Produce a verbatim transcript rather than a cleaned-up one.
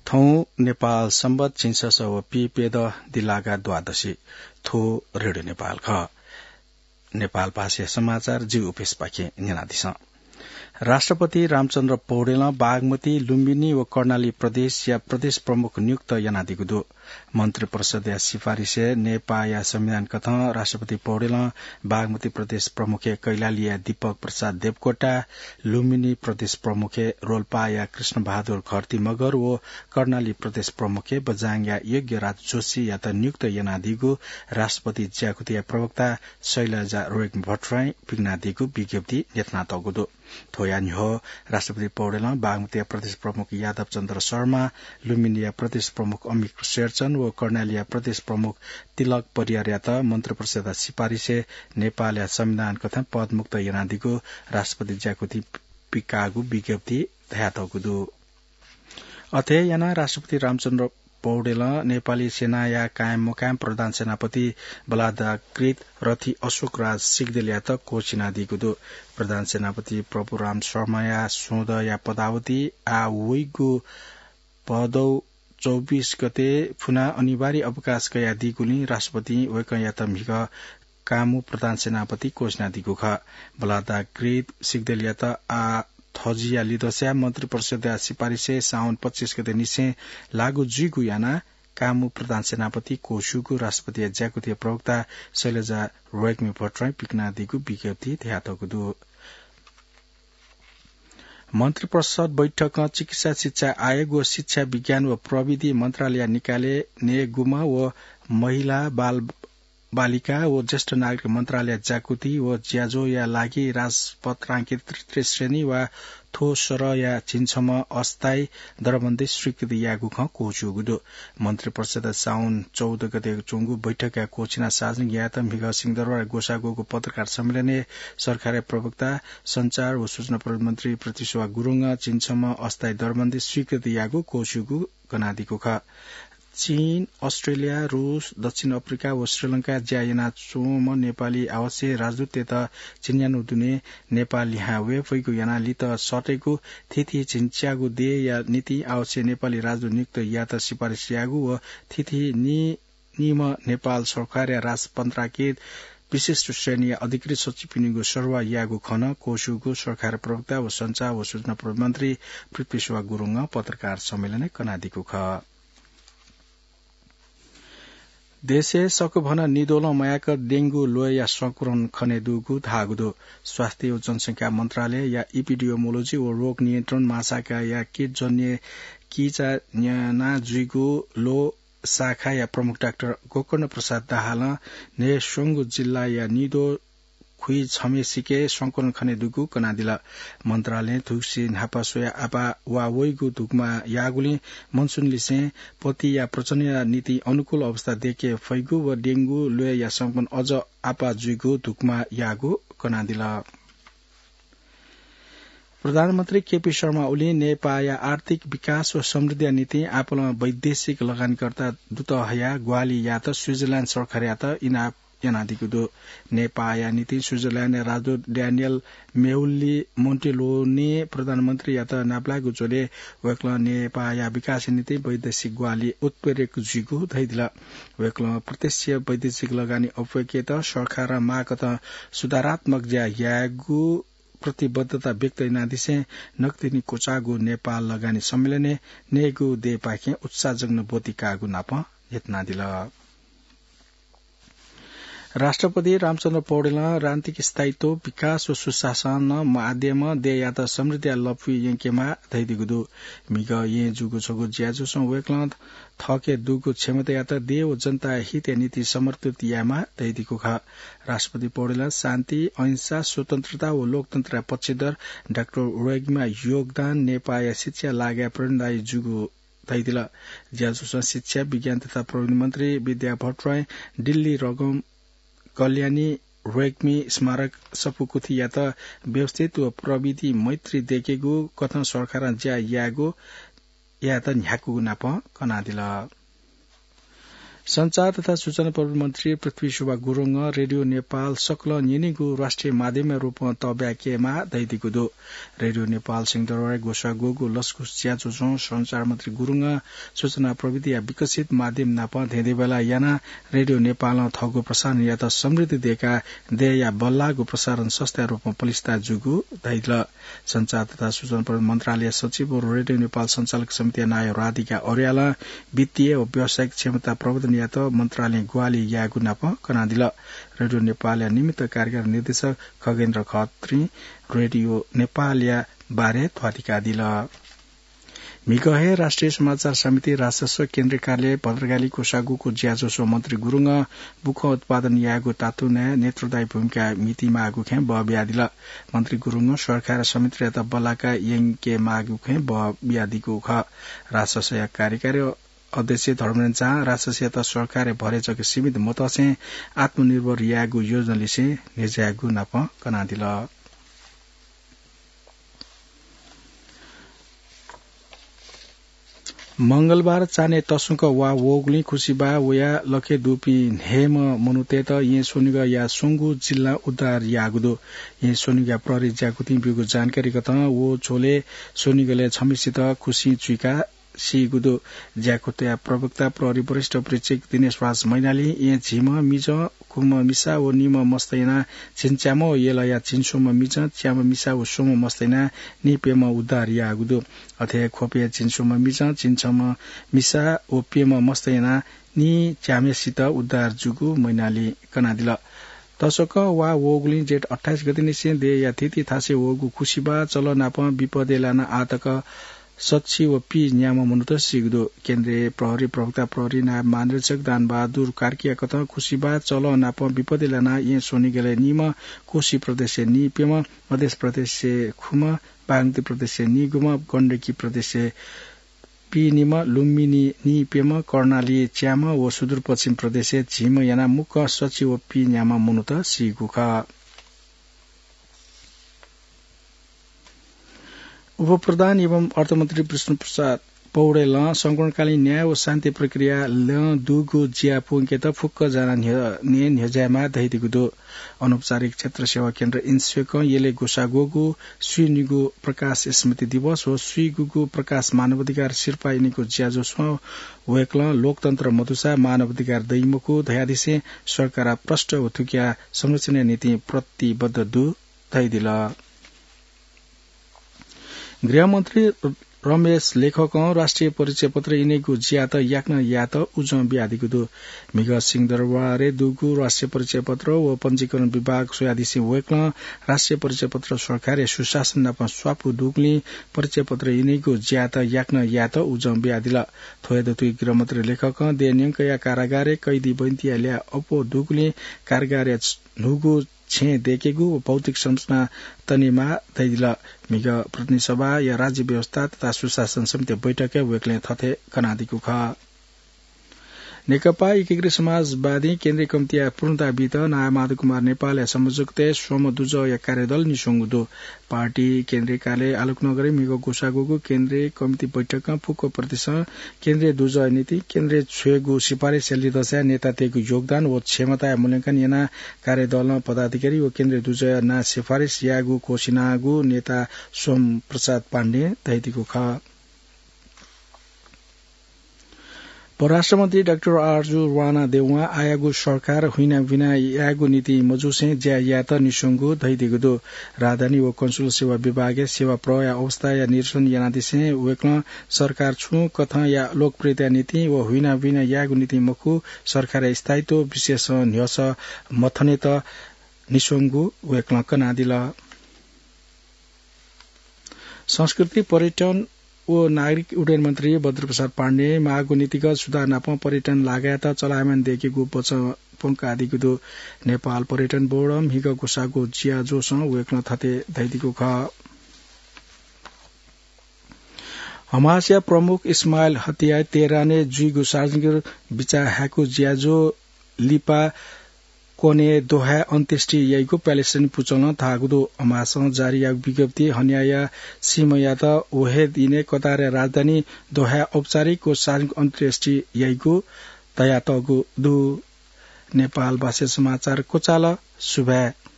थौं नेपाल संवत् झिंछसः व पीप्यदँ दिलागा द्वादशी। थ्व रेडियो नेपाल खः। नेपाल भाषाया समाचार जि उपेशपाखें न्यनादिसँ। राष्ट्रपति रामचन्द्र पौडेलं बागमती, लुम्बिनी व कर्णाली प्रदेशया प्रदेश प्रमुख नियुक्त यानादीगु दु। मन्त्रिपरिषदया सिफारिसय् नेपाःया संविधान कथं राष्ट्रपति पौडेलं बागमती प्रदेश प्रमुखय् कैलालीया दीपक प्रसाद देवकोटा, लुम्बिनी प्रदेश प्रमुखय् रोल्पाया कृष्णबहादुर घरती मगर व कर्णाली प्रदेश प्रमुखय् बझाङया यज्ञराज जोशीयात नियुक्त यानादीगु राष्ट्रपति ज्याकुथिया प्रवक्ता शैलजा रोय्कमि भट्टराईं पिकनादीगु विज्ञप्ति न्ह्यथनातःगु दु। थ्वया न्ह्यः राष्ट्रपति पौडेलं बागमतीया प्रदेश प्रमुख यादव चन्द्र शर्मा, लुम्बिनीया प्रदेश प्रमुख अमिक शेरचन व कर्णालीया प्रदेश प्रमुख तिलक परियारयात मन्त्रिपरिषदया सिफारिसय् नेपाःया संविधान कथं पदमुक्त यानादीगु राष्ट्रपति ज्याकुथिं पिकाःगु विज्ञप्तिइ धयातःगु दु। अथे यानाः राष्ट्रपति रामचन्द्र पौडेलं नेपाली सेनाया कायम मकायम प्रधान सेनापति बलादाकृत रथी अशोकराज सिग्देलयात कोष यानादीगु दु। प्रधान सेनापति प्रभुराम शर्माया सोंदँया पदावधि आः वइगु भदौ चौबिस गते फुनाः अनिवार्य अवकाश कयादीगुलिं राष्ट्रपतिं वय्कःयात म्हिगः कामु प्रधान सेनापति कोष यानादीगु खः। बलादाकृत सिग्देलयात आः थज्या लिधंसां मन्त्रिपरिषदया सिफारिसय् साउन पच्चिस गते निसें लागू जुइगु यानाः कामु प्रधान सेनापति कोषूगु राष्ट्रपतिया ज्याकुथिया प्रवक्ता शैलजा रोय्कमि भट्टराईं पिकनादीगु विज्ञप्तिइ धयातःगु दु। मन्त्रिपरिषद बैठकं चिकित्सा शिक्षा आयोग व शिक्षा विज्ञान व प्रविधि मन्त्रालयया निकालय् नयेगुम्ह व महिला, बाल बालिका व ज्येष्ठ नागरिक मन्त्रालयया ज्याकुथि व ज्याझ्वःया लागि राजपत्रांकित तृतीय श्रेणी वा थ्व सरहया झिंछम्ह अस्थायी दरबन्दी स्वीकृति याःगु खँ क्वःछ्यूगु दु। मन्त्रिपरिषदया साउन चौध गते च्वंगु बैठकया क्वःछिनाः सार्वजनिक यायेत म्हिगः सिंहदरबारय् ग्वसाः ग्वःगु पत्रकार सम्मेलनय् सरकारया प्रवक्ता सञ्चार व सूचना प्रविधि मन्त्री पृथ्वीशोभा गुरुङं झिंछम्ह अस्थायी दरबन्दी स्वीकृति याःगु क्वःछ्यूगु कनादीगु खः। चीन, अस्ट्रेलिया, रूस, दक्षिण अफ्रिका व श्रीलंकाय् ज्या यानाच्वंम्ह नेपाली आवासीय राजदूततय्त झिंन्यान्हु दुने नेपाः लिहां वये फइगु यानाः लित सःतेगु थीथी झिंच्यागू देय्‌या निंतिं आवासीय नेपाली राजदूत नियुक्त यायेत सिफारिस याःगु व थीथी नी-, नीम्ह नेपाल सरकारया राजपत्रांकित विशिष्ट श्रेणीया अधिकृत सचिवपिनिगु सरुवा याःगु खँ नं क्वःछ्यूगु सरकार प्रवक्ता व सञ्चार व सूचना प्रविधि मन्त्री पृथ्वीशोभा गुरुङं पत्रकार सम्मेलनय् कनादीगु खः। देशय् सकभनं निद्वलं मयाक डेंगु ल्वय्‌या संक्रमण खनेदुगु धाःगु दु। स्वास्थ्य व जनसंख्या मन्त्रालयया इपिडियोमोलोजी व रोग नियन्त्रण महाशाखाया कीटजन्य किचा न्यना जुइगु ल्वः शाखाया प्रमुख डाक्टर गोकर्ण प्रसाद दाहालं न्हय्‌स्वंगू जिल्लाया निद्वः खुइछम्हेसिके संक्रमण खनेदुगु कनादिल। मन्त्रालयं धुकुसे न्हापा स्वयाः आपाः वा वइगु धुकुमा याःगुलिं मनसुनलिसें पतिया प्रजननया निंतिं अनुकूल अवस्था दयेके फइगु व डेंगु ल्वय्‌या संक्रमण अझ आपाः जुइगु धुकुमा याःगु कनादिल। प्रधानमन्त्री केपी शर्मा ओलीं नेपाःया आर्थिक विकास व समृद्धिया निंतिं आपालं वैदेशिक लगानीकर्ता दुत हयाः ग्वाहालि यायेत स्विजरल्याण्ड सरकारयात इनाप यानादीगु दु। नेपाःया निंतिं स्विजरल्याण्डया राजदूत ड्यानियल मेउल्ली मोन्टिलोने प्रधानमन्त्रीयात नापलायेगु झ्वलय् वय्‌कलं नेपाःया विकासया निंतिं वैदेशिक ग्वाहालि उत्प्रेरक जुइगु धयादिल। वय्‌कलं प्रत्यक्ष वैदेशिक लगानी अप्वय्‌केत सरकारं माःकथं सुधारात्मक ज्या यायेगु प्रतिबद्धता व्यक्त यानादिसें नकतिनि क्वचाःगु नेपाल लगानी सम्मेलनय् नयेगु देय्‌पाखें उत्साहजनक ब्वति काःगु नापं न्ह्यथनादिल। राष्ट्रपति रामचन्द्र पौडेलं राजनीतिक स्थायित्व, विकास व सुशासन माध्यमं देय्‌यात समृद्धिया लँपुइ यंकेमाः धयादीगु दु। म्हिगः येँ जूगु छगू ज्याझ्वलय् वय्‌कलं थःके दुगु क्षमतायात देय् व जनताया हितया निंतिं समर्पित यायेमाः धयादीगु खः। राष्ट्रपति पौडेलं शान्ति, अहिंसा, स्वतन्त्रता व लोकतन्त्रया पक्षधर डाक्टर रोय्‌कमिया योगदान नेपाःया शिक्षाया लागाय् प्रेरणादायी जूगु धयादिल। ज्याझ्वलय् शिक्षा, विज्ञान तथा प्रविधि मन्त्री विद्या भट्टराईं दिल्ली रगम कल्याणी रोय्‌कमि स्मारक सफूकुथियात व्यवस्थित व प्रविधि मैत्री दयेकेगु कथं सरकारं ज्या यायेगु यायेत न्ह्याकूगु नापं कनादिल। सञ्चार तथा सूचना प्रविधि मन्त्री पृथ्वी शोभा गुरुङं रेडियो नेपाल सकलं न्यनीगु राष्ट्रिय माध्यमया रूपं तःब्याकेमाः धयादीगु दु। रेडियो नेपाल सिंहदरबारय् ग्वसाःग्वःगु लसकुस ज्याझ्वलय् सञ्चार मन्त्री गुरुङं सूचना प्रविधिया विकसित माध्यम नाप धेंधेंबेला यानाः रेडियो नेपालं थःगु प्रसारणयात समृद्धि दयेकाः देय्‌या बल्लाःगु प्रसारण संस्थाया रूपं पलिस्था जूगु धयादिल। सञ्चार तथा सूचना प्रविधि मन्त्रालय सचिव व रेडियो नेपाल सञ्चालक समितिया नायः राधिका अर्यालं वित्तीय व व्यावसायिक क्षमता प्रवर्धनयात मन्त्रालयं ग्वाहालि यायेगु नाप कनादिल। रेडियो नेपालया निमित्त कार्यकारी निर्देशक खगेन्द्र खत्रीं रेडियो नेपालया बारे ध्वाथुइकादिल। म्हिगः हे राष्ट्रिय समाचार समिति राजसंघ केन्द्रीय कार्यालय भद्रकाली ग्वसाःग्वःगु ज्याझ्वलय् मन्त्री गुरुङं बुखँ उत्पादन यायेगु तातुनाय् नेतृत्वदायी भूमिका म्हितीमाःगु खँय् बः बियादिल। मन्त्री गुरुङं सरकार समितियात बल्लाका यंकेमाःगु खँय् बः बियादीगु खः। राजसंघया कार्यकारी अध्यक्ष धर्मेन्द्र झां राजसंघयात सरकारय् भरय् जक सीमित मतसें आत्मनिर्भर यायेगु योजना लिसें न्ह्यज्यायेगु नाप कनादिल। मंगलबार चान्हय् तसकं वा वःगुलिं खुसिबाः वयाः लखय् दुपिं न्हय्म्ह मनूतय्त येँ स्वनिगलया स्वंगू जिल्लां उद्धार याःगु दु। येँ स्वनिगलया प्रहरी ज्याकुथिं ब्यूगु जानकारी कथं व झ्वलय् स्वनिगलय् छम्हसित खुसिं चुइकाः सीगु दु। ज्याकुथया प्रवक्ता प्रहरी वरिष्ठ उपरीक्षक दिनेश राज मैनालीं येँ झिम्ह मिजं, खुम्ह मिसा व निम्ह मस्त यानाः झिंच्याम्ह व यलया झिंस्वम्ह मिजं, च्याम्ह मिसा व स्वम्ह मस्त यानाः निप्यम्ह उद्धार याःगु दु। अथे हे ख्वपया झिंस्वम्ह मिजं, झिंछम्ह मिसा व प्यम्ह मस्त यानाः नीच्याम्हसित उद्धार जूगु मैनालीं कनादिल। तसकं वा वःगुलिं जेठ अट्ठाइस गतेनिसें देय्‌या थीथी थासय् वःगु खुसिबाः चलः नाप विपदय् लानाः आः तक सच्छि व पीन्याम्ह मनूत सीगु दु। केन्द्रीय प्रहरी प्रवक्ता प्रहरी नायब महानिरीक्षक दानबहादुर कार्कीया कथं खुसिबाः चलः नाप विपदय् लानाः येँ स्वनिगलय् नीम्ह, कोशी प्रदेशय् नीप्यम्ह, मध्य प्रदेशय् खुम्ह, बागमती प्रदेशय् नीगुम्ह, गण्डकी प्रदेशय् पीनिम्ह, लुम्बिनी नीप्यम्ह, कर्णाली च्याम्ह व सुदूरपश्चिम प्रदेशय् झिम्ह यानाः मुक्कं सच्छि व पीन्याम्ह मनूत सीगु खः। उपप्रधान एवं अर्थमन्त्री विष्णुप्रसाद पौडेलं संकटकालीन न्याय व शान्ति प्रक्रियाय् दुगु ज्या प्वंकेत फुक्कं जानाः न्ह्य-, न्ह्यज्यायेमाः धयादीगु दु। अनौपचारिक क्षेत्र सेवा केन्द्र इन्स्वेकं यलय् ग्वसाःग्वःगु स्वीनिगू प्रकाश स्मृति दिवस व स्वीगूगू प्रकाश मानवाधिकार सिरपाः इनेगु ज्याझ्वलय् वय्‌कलं लोकतन्त्र मदुसा मानवाधिकार दइ मखु धयादिसें सरकार प्रष्ट व थुकिया संरक्षणया निंतिं प्रतिबद्ध दु धयादिल। गृहमन्त्री रमेश लेखकं राष्ट्रिय परिचय पत्र इनेगु ज्यात याकनं यायेत उजं बियादीगु दु। म्हिगः सिंहदरबारय् दुगु राष्ट्रिय परिचय पत्र व पञ्जीकरण विभाग स्वयादिसें वय्‌कलं राष्ट्रिय परिचय पत्र सरकारया सुशासन नाप स्वापू दुगुलिं परिचय पत्र इनेगु ज्यात याकनं यायेत उजं बियादिल। थ्व हे दथुइ गृहमन्त्री लेखकं देय् न्यंकया कारागारय् कैदी बहिनीतय्‌या ल्याः अप्वः दुगुलिं कारागारय् न्हूगु छेँ दय्‌केगु व भौतिक संरचना तनेमाः धयादिल। म्हिगः प्रतिनिधि सभाया राज्य व्यवस्था तथा सुशासन समिति बैठकय् वय्‌कलं थथे कनादीगु खः। नेकपा एकीकृत समाजवादी केन्द्रीय कमिटीया पूर्णता बीत नारायण माधव कुमार नेपालया संयोजकत्वय् स्वम्ह दुजःया कार्यदल निस्वंगु दु। पार्टी केन्द्रीय कार्यालय आलोकनगरय् म्हिगः ग्वसाःग्वःगु केन्द्रीय कमिटी बैठकं फुक्क प्रदेशं केन्द्रीय दुजःया निंतिं केन्द्रय् छ्वयेगु सिफारिसया लिधंसाय् नेतातय्‌गु योगदान व क्षमताया मूल्यांकन यानाः कार्यदलं पदाधिकारी व केन्द्रीय दुजःया नां सिफारिस यायेगु घोषित यानागु नेता सोम प्रसाद पाण्डें धयादीगु खः। परराष्ट्र मन्त्री डाक्टर आरजु राणा देवां आःयागु सरकार हुइनाबिना यायेगु निंतिं मजुसें ज्या यायेत निस्वंगु धयादीगु दु। राजधानी व कन्सुल सेवा विभागय् सेवा प्रवाहया अवस्थाया निरीक्षण यानादिसें वय्‌कलं सरकार छुं कथंया लोकप्रियताया निंतिं व हुइनाबिना यायेगु निंतिं मखु, सरकारया स्थायित्व विषयसं न्ह्यसः मथनेत निस्वंगु वय्‌कलं कनादिल। संस्कृति, पर्यटन व नागरिक उड्डयन मन्त्री बद्रीप्रसाद पाण्डें माःगु नीतिगत सुधार नाप पर्यटन लागायेत चलायमान दयेकेगु वचन प्वंकादीगु दु। नेपाल पर्यटन बोर्डं म्हिगः ग्वसाःगु ज्याझ्वलय् वय्‌कलं थथे धयादीगु खः। हमासया प्रमुख इस्माइल हनियाया तेहरानय् जुइगु सार्वजनिक बिचाः हायेगु ज्याझ्वः लिपा क्वनय् दोहाय् अन्त्येष्टि याइगु प्यालेस्टाइन पुचलं धाःगु दु। हमासं जारी याःगु विज्ञप्तिइ हनियाया सीम्हयात व हे दिनय् कतारया राजधानी दोहाय् औपचारिक व सार्वजनिक अन्त्येष्टि याइगु धयातःगु दु। नेपाल भाषा समाचार क्वचाल। सुभाय्।